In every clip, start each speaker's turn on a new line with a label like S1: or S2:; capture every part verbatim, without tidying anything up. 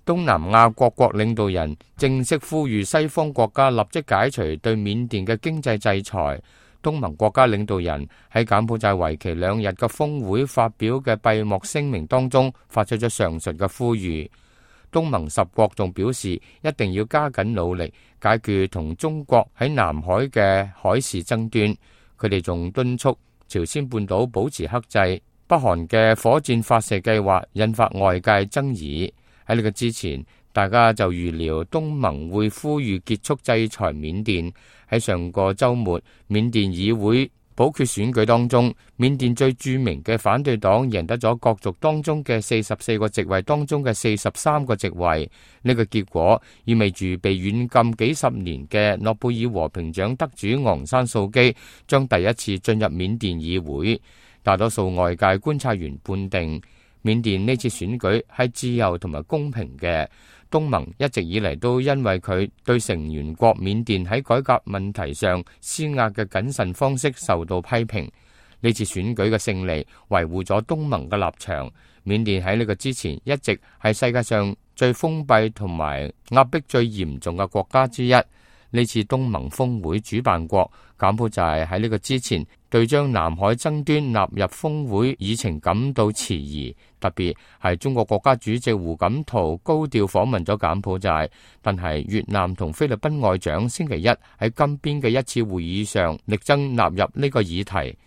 S1: 東南亞各國領導人正式呼籲西方國家立即解除對緬甸嘅經濟制裁。東盟國家領導人喺柬埔寨為期兩日嘅峰會發表嘅閉幕聲明當中，發出咗上述嘅呼籲。東盟十國仲表示，一定要加緊努力解決同中國喺南海嘅海事爭端。佢哋仲敦促朝鮮半島保持克制。北韓嘅火箭發射計劃引發外界爭議。喺呢個之前，大家就預料東盟會呼籲結束制裁緬甸。喺上個週末，緬甸議會補決選舉當中，緬甸最著名嘅反對黨贏得咗角逐當中嘅四十四個席位當中嘅四十三個席位。呢個結果意味住被軟禁幾十年嘅諾貝爾和平獎得主昂山素基將第一次進入緬甸議會。大多數外界觀察員判定，緬甸呢次選舉係自由同埋公平嘅。東盟一直以嚟都因為佢對成員國緬甸喺改革問題上施壓嘅謹慎方式受到批評。呢次選舉嘅勝利維護咗東盟嘅立場。緬甸喺呢個之前一直係世界上最封閉同埋壓迫最嚴重嘅國家之一。呢次東盟峰會主辦國柬埔寨喺呢個之前對將南海爭端納入峰會議程感到遲疑，特別係中國國家主席胡錦濤高調訪問咗柬埔寨，但係越南同菲律賓外長星期一喺金邊嘅一次會議上力爭納入呢個議題。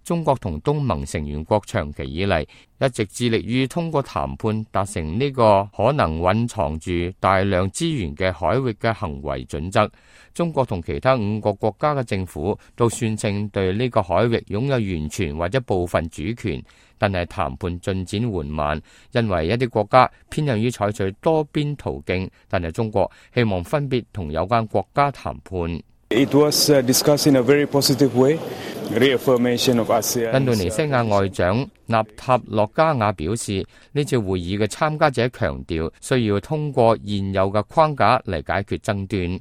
S1: 中國同東盟成員國長期以嚟一直致力於通過談判達成呢個可能蘊藏住大量資源嘅海域嘅行為準則。中國同其他五個國家嘅政府都宣稱對呢個海域擁有完全或者部分主權，但係談判進展緩慢，因為一啲國家偏向於採取多邊途徑，但係中國希望分別同有關國家談判。
S2: It was discussed in a very positive way. Reaffirmation of ASEAN.
S1: 印度尼西亞外長納塔洛加瓦表示，呢次會議嘅參加者強調需要通過現有嘅框架嚟解決爭端。